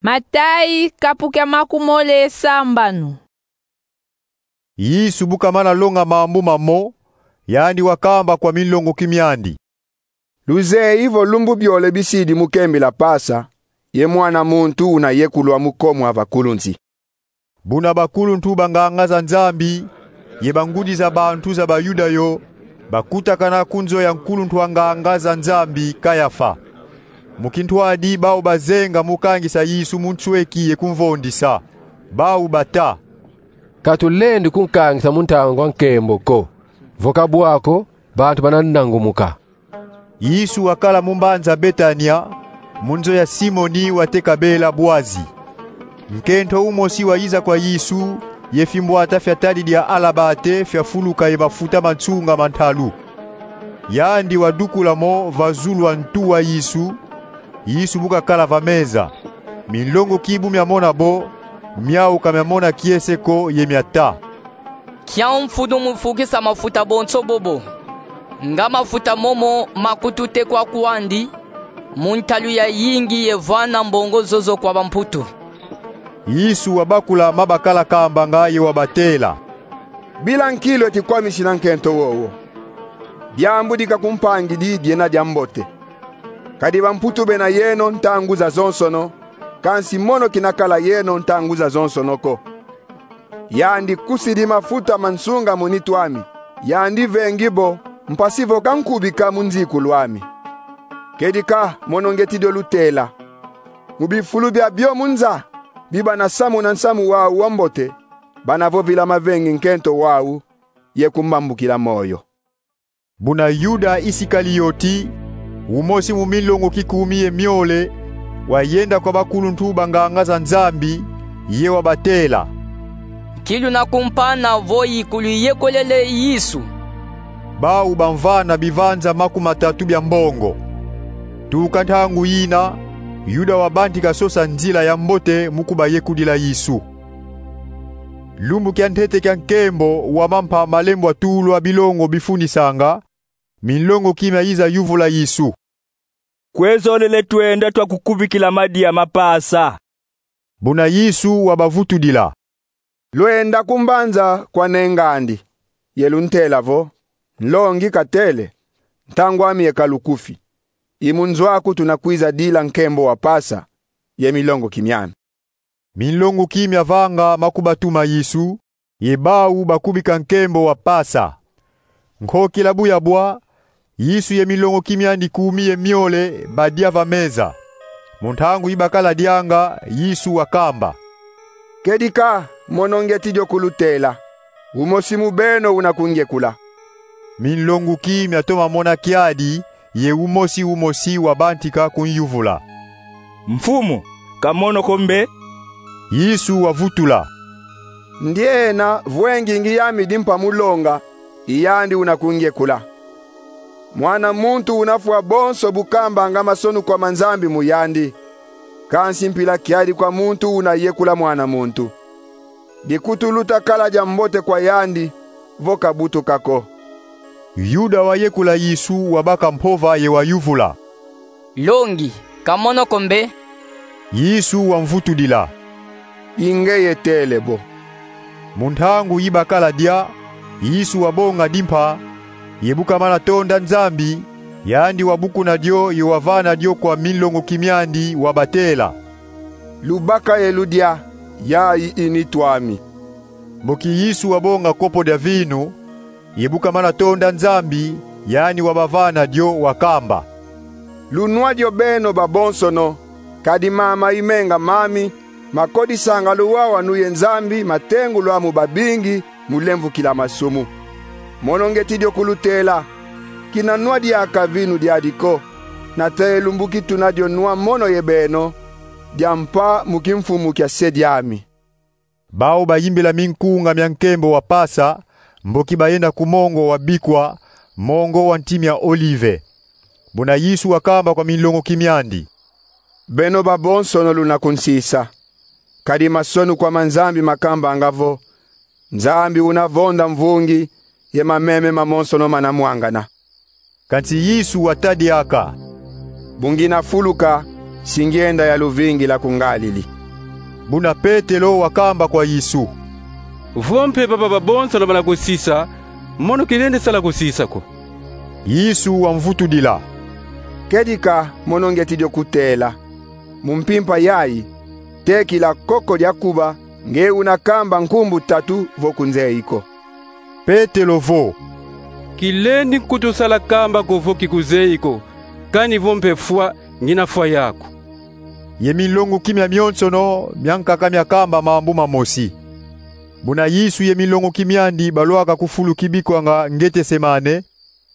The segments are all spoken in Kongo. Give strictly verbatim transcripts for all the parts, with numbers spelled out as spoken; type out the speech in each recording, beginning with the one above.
Matayi, kapu kia makumole ye sambanu. Yesu bu kamana longa mambu mamo, yandi wakamba kwa minlongoki miandi: Luzeyi vo lumbu biole bisidi mu kembila Pasa, ye Mwana muntu una yekulwa mu komo a vakulunsi. Buna bakuluntu ba nganga za Nzambi ye bangudi za bantu za Bayuda yo bakutakana ku nzo ya nkuluntu a nganga za Nzambi Kayafa. Mu kintwadi bau bazenga mu kangisa Yesu mu nsweki ye kumvondisa. Bau bata: Ka tulendi kunkangisa mu ntangu a nkembo ko, vo ka bwa ko, bantu bana nangumuka. Yesu wakala mu mbanza Betania, mu nzo ya Simoni wateka bela bwazi. Nkento umosi wayiza kwa Yesu ye fimbwata fia tadi dia alabate fiafuluka ye mafuta ma nsunga ma ntalu. Yandi wadukula mo va zulu a ntu wa Yesu, Yesu bu kakala va meza. Minlongoki bu miamona bo, miau ka miamona kiese ko ye miata: Kiau mfunu mu fukisa mafuta bonso bobo, nga mafuta momo makututekwa kwandi mu ntalu ya yingi ye vana mbongo zozo kwa bamputu. Yesu wabakula ma bakala kambanga ye wabatela: Bila nkilu eti kwamisina nkento wowo. Diambu di kakumpangidi diena diambote. Kadi bamputu bena yeno ntangu zazonsono, kansi mono kina kala yeno ntangu zazonsono ko. Yandi kusidi mafuta ma nsunga mu nitu ami. Yandi vengi bo, mpasi vo kankubika mu nzikulu ami. Kedika, mono ngeti dio lutela. Mu bifulu biabio mu nza, bi bana samuna nsamu wau wambote, bana vovila mavengi nkento wau, ye kumbambukila moyo. Buna Yuda Isikalioti, umosi mu minlongoki kumi ye miole, wayenda kwa bakuluntu ba nganga za Nzambi, ye wabatela: Nki luna kumpana vo yi kuluyekolele Yesu? Bau bamvana bivanza makumatatu bia mbongo. Tuka ntangu yina, Yuda wabantika sosa nzila ya mbote mu kubayekudila Yesu. Lumbu kia ntete kia nkembo wa mampa malembwa tulwa bilongo bifunisanga, minlongoki miayiza yuvula Yesu: Kwe zolele twenda twakukubikila madia ma Pasa? Buna Yesu wabavutudila: Lwenda ku mbanza kwa neng'andi, ye luntela vo: Nlongi katele, ntangu ami yeka lukufi. I mu nzo aku tuna kwiza dila nkembo wa Pasa, ye milongoki miami. Minlongoki miavanga ma kubatuma Yesu, ye bau bakubika nkembo wa Pasa. Nkokila bu yabwa, Yesu ye minlongoki miandi kumi ye miole badia va meza. Mu ntangu yi bakala dianga, Yesu wakamba: Kedika, mono ngeti dio kulutela. Umosi mu beno una kungiekula. Minlongoki miatoma mona kiadi, ye umosi umosi wabantika kunyuvula: Mfumu, ka mono ko mbe? Yesu wavutula: Ndiena vwengi ngi yami dimpa mu longa, i yandi una kungiekula. Mwana muntu una fwa bonso bu kambanga masonukwa ma Nzambi mu yandi. Kansi mpila kiadi kwa muntu una yekula Mwana muntu. Dikutu luta kala diambote kwa yandi, vo kabutuka ko. Yuda wayekula Yesu wabaka mpova ye wayuvula: Longi, ka mono ko mbe? Yesu wamvutudila: I ngeye tele bo. Mu ntangu yi bakala dia, Yesu wabonga dimpa, ye bu kamana tonda Nzambi, yandi wabukuna dio ye wavana dio kwa minlongoki miandi, wabatela: Lubaka ye ludia, yayi i nitu ami. Mboki Yesu wabonga kopo dia vinu, ye bu kamana tonda Nzambi, yandi wabavana dio, wakamba: Lunwa dio beno babonsono, kadi mama i menga mami, makodisanga luwawanu ye Nzambi matengulwa mu babingi mu lemvukila masumu. Mono ngeti dio kulutela: Kina nwa diaka vinu diadi ko, nate lumbu ki tuna dio nwa mono ye beno, diampa mu kimfumu kia Se diami. Bau bayimbila minkunga mia nkembo wa Pasa, mboki bayenda ku mongo wa bikwa, mongo wa nti mia Olive. Buna Yesu wakamba kwa minlongoki miandi: Beno babonsono luna kunsisa. Kadi masonukwa ma Nzambi makambanga vo: Nzambi una vonda mvungi, ye mameme mamonsono mana mwangana. Kansi Yesu wata diaka: Bu ngina fuluka, si ngyenda ya luvingila ku Ngalili. Buna Petelo wakamba kwa Yesu: Vo mpe baba babonsono bana kusisa, mono kilendi sala kusisa ko. Yesu wamvutudila: Kedika mono ngyeti dio kutela. Mu mpimpa yayi, tekila koko dia kuba, nge una kamba nkumbu tatu vo kunzeyi ko. Petelo vo: Kilendi nkutu sala kamba ko vo kikuzeyi ko, kani vo mpe fwa, ngina fwa yaku. Ye minlonguki mia mionsono miankaka miakamba mambu mamosi. Buna Yesu ye minlonguki miandi balwaka ku fulu kibikwanga Ngetesemane,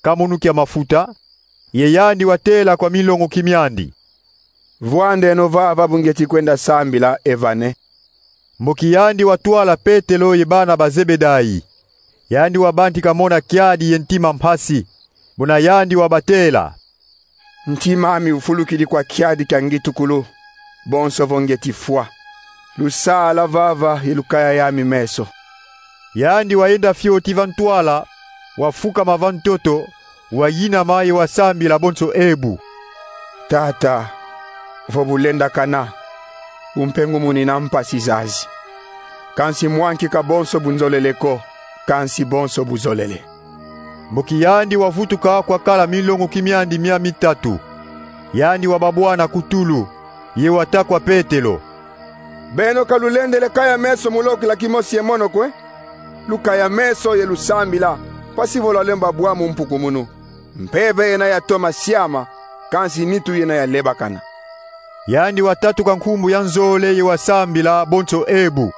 kamunu kia mafuta, ye yandi watela kwa minlonguki miandi: Vwandeno vava bu ngyeti kwenda sambila e vane. Mboki yandi watwala Petelo ye bana ba Zebedai. Yandi wabantika mona kiadi ye ntima mpasi. Buna yandi wabatela: Ntima ami ufulukidi kwa kiadi kia ngitukulu, bonso vo ngyeti fwa. Lusala vava ye lukaya yami meso. Yandi wayenda fioti va ntwala, wafukama va ntoto, wayinama ye wasambila bonso ebu: Tata, vo bulendakana, umpe ngumunina mpasi zazi. Kansi mwa nki ka bonso bu nzolele ko, kansi bonso bu zolele. Mboki yandi wavutuka kwakala minlonguki miandi mia mitatu. Yandi wababwana ku tulu, ye wata kwa Petelo: Beno ka lulendele kaya meso mu lokila kimosi ye mono ko, e? Lukaya meso ye lusambila, mpasi vo lwalemba bwa mu mpukumunu. Mpeve yena yatoma siama, kansi nitu yena yalebakana. Yandi watatuka nkumbu ya nzole ye wasambila bonso ebu: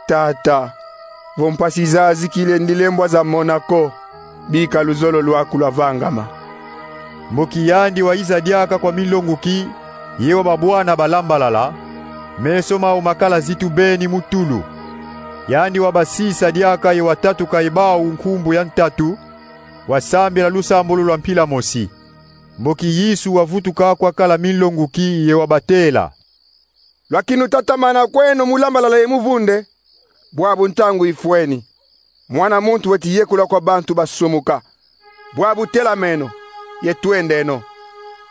Tata, vo mpasi zazi kilendi lembwa zamona ko, bika luzolo lwaku lwavangama. Mboki yandi wayiza diaka kwa minlonguki, ye wababwana balambalala, meso mau makala zitu beni mu tulu. Yandi wabasisa diaka ye watatuka ye bau nkumbu ya ntatu, wasambila lusambulu lwa mpila mosi. Mboki Yesu wavutuka kwakala minlonguki ye wabatela: Lwakinutatamana kweno mu lambalala ye mu vunde, bwabu ntangu ifweni. Mwana muntu weti yekula kwa bantu basumuka. Bwabu telameno, ye twendeno.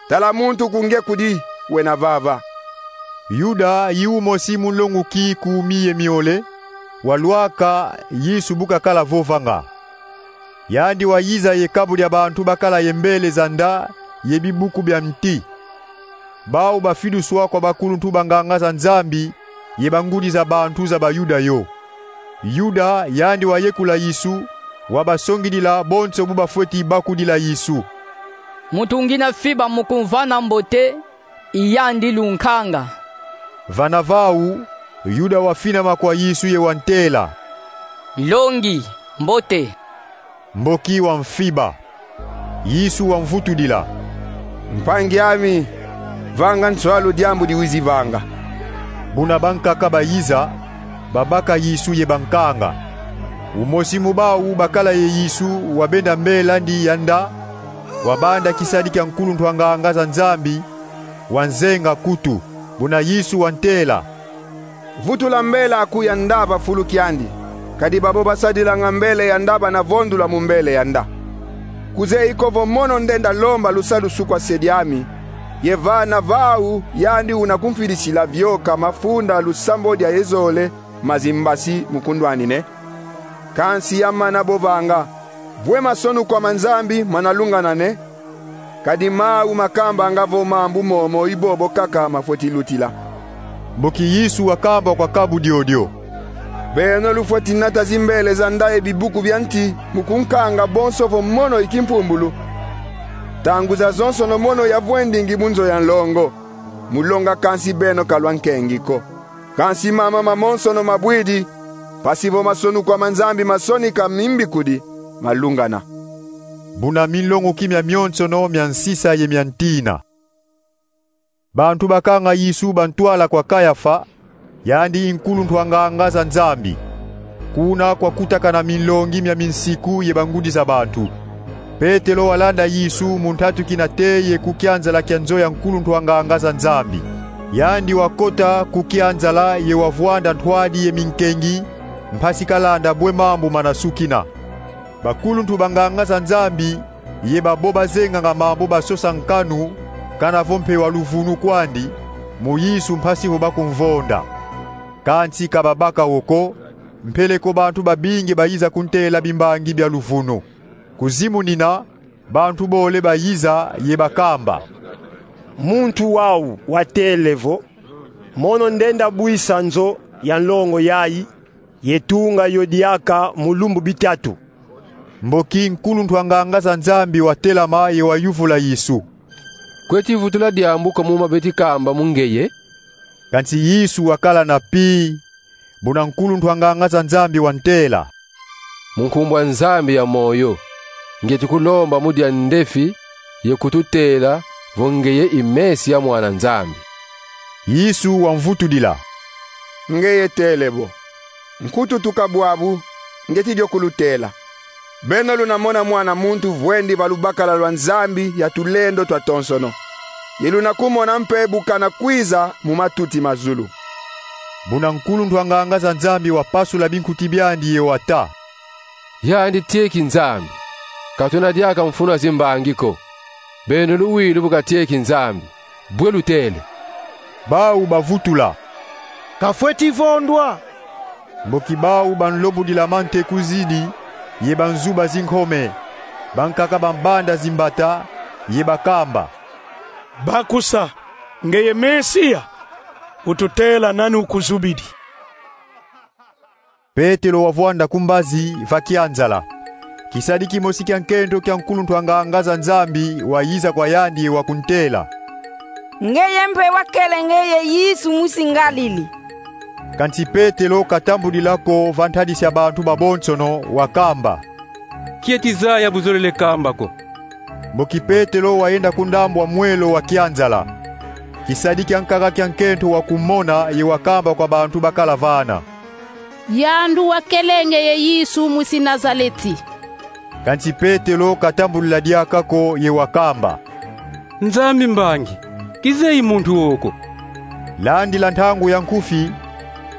Tala muntu ku nge kudi, wena vava. Yuda, yi umosi mu nlonguki kumi ye miole, walwaka Yesu bu kakala vovanga. Yandi wayiza ye kabu dia bantu bakala ye mbele za nda ye bibuku bia nti. Bau bafiduswa kwa bakuluntu banganga za Nzambi ye bangudi za bantu za Bayuda yo. Yuda, yandi wayekula Yesu, wabasongidila bonso bu bafweti bakudila Yesu: Muntu ngina fiba mu kumvana mbote, i yandi lunkanga. Vana vau, Yuda wafinama kwa Yesu ye wantela: Nlongi, mbote. Mboki wamfiba. Yesu wamvutudila: Mpangi ami, vanga nswalu diambu diwizi vanga. Buna bankaka bayiza, babaka Yesu ye bankanga. Umosi mu bau bakala ye Yesu wabenda mbel'andi ya nda, wabanda kisadi kia nkuluntu a nganga za Nzambi, wanzenga kutu. Buna Yesu wantela: Vutula mbel'aku ya nda va fulu kiandi, kadi babo basadilanga mbele ya nda bana vondula mu mbele ya nda. Kuzeyi ko vo mono ndenda lomba lusalusu kwa se diami, ye vana vau yandi una kumfidisila vioka mafunda lusambodi aye zole ma zimbasi mu kundwanine? Kansi yamana bo vanga, bwe masonukwa ma Nzambi mana lungana, ne? Kadi mau makambanga vo mambu momo i bobo kaka mafweti lutila. Mboki Yesu wakamba kwa kabu diodio: Beno lufweti nata zimbele za nda ye bibuku bia nti mu kunkanga bonso vo mono i kimpumbulu. Ntangu zazonsono mono yavwendingi mu nzo ya nlongo, mu longa kansi beno ka lwankengi ko. Kansi mama mamonsono mabwidi, mpasi vo masonukwa ma Nzambi masonika mimbikudi, malungana. Buna minlonguki mia mionsono mia nsisa ye mia ntina. Bantu bakanga Yesu bantwala kwa Kayafa, yandi i nkuluntu a nganga za Nzambi. Kuna kwakutakana minlongi mia minsiku ye bangudi za bantu. Petelo walanda Yesu mu ntatu kina te ye ku kianzala kia nzo ya nkuluntu a nganga za Nzambi. Yandi wakota ku kianzala ye wavwanda ntwadi ye minkengi, mpasi kalanda bwe mambu mana sukina. Bakuluntu banganga za Nzambi ye babo bazenganga mambu basosa nkanu, kana vo mpe wa luvunu kwandi, mu Yesu mpasi vo bakumvonda. Kansi ka babaka wo ko, mpeleko bantu babingi bayiza kuntela bimbangi bia luvunu. Kuzimunina, bantu bole bayiza ye bakamba: Muntu wau watele vo: Mono ndenda bwisa nzo ya nlongo yayi, ye tunga yo diaka mu lumbu bitatu. Mboki nkuluntu a nganga za Nzambi watelama ye wayuvula Yesu: Kweti vutula diambu ko mu ma beti kamba mu ngeye? Kansi Yesu wakala na pi. Buna nkuluntu a nganga za Nzambi wantela: Mu nkumbu a Nzambi ya moyo, ngieti kulomba mu dia ndefi ye kututela vo ngeye i Mesia, Mwana Nzambi. Yesu wamvutudila: Ngeye tele bo. Nkutu tuka bwabu, ngieti dio kulutela. Beno luna mona Mwana muntu vwendi va lubakala lwa Nzambi ya tulendo twatonsono, ye luna kumona mpe bu kana kwiza mu matuti ma zulu. Buna nkuluntu a nganga za Nzambi wapasula binkuti biandi ye wata: Yandi tieki Nzambi. Ka tuna diaka mfunu a zimbangi ko. Beno luwidi bu katieki Nzambi, bwe lutele? Bau bavutula: Kafweti vondwa. Mboki bau banlobudila mantekuzidi ye banzuba zinkome, bankaka bambanda zimbata, ye bakamba: Bakusa, ngeye Mesia, ututela nani ukuzubidi. Petelo wavwanda ku mbazi va kianzala. Kisadi kimosi kia nkento kia nkuluntu a nganga za Nzambi wayiza kwa yandi ye wakuntela: Ngeye mpe wakele ngeye Yesu mwisi Ngalili. Kansi Petelo katambudila ko va ntadisi a bantu babonsono, wakamba: Kieti zaya bu zolele kamba ko. Mboki Petelo wayenda ku ndambu a mwelo wa kianzala, kisadi kia nkaka kia nkento wakumona ye wakamba kwa bantu bakala vana: Yandi wakele ngeye Yesu mwisi Nazaleti. Kansi Petelo katambudila diaka ko ye wakamba: Nzambi mbangi, kizeyi muntu wo ko. Landila ntangu ya nkufi,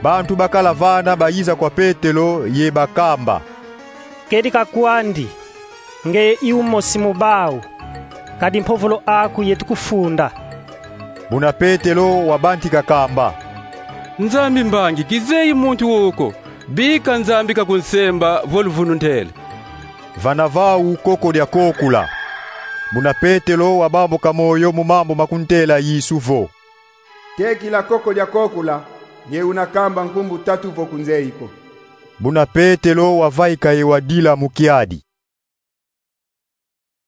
bantu bakala vana bayiza kwa Petelo ye bakamba: Kedika kwandi, ngeye i umosi mu bau, kadi mpovolo aku yeti kufunda. Buna Petelo wabantika kamba: Nzambi mbangi, kizeyi muntu wo ko, bika Nzambi kakunsemba vo luvunu ntele. Vana vau koko dia kokula. Buna Petelo wabambuka moyo mu mambu ma kuntela Yesu vo: Tekila koko dia kokula, ye una kamba nkumbu tatu vo kunzeyi ko. Buna Petelo wavaika ye wadila mu kiadi.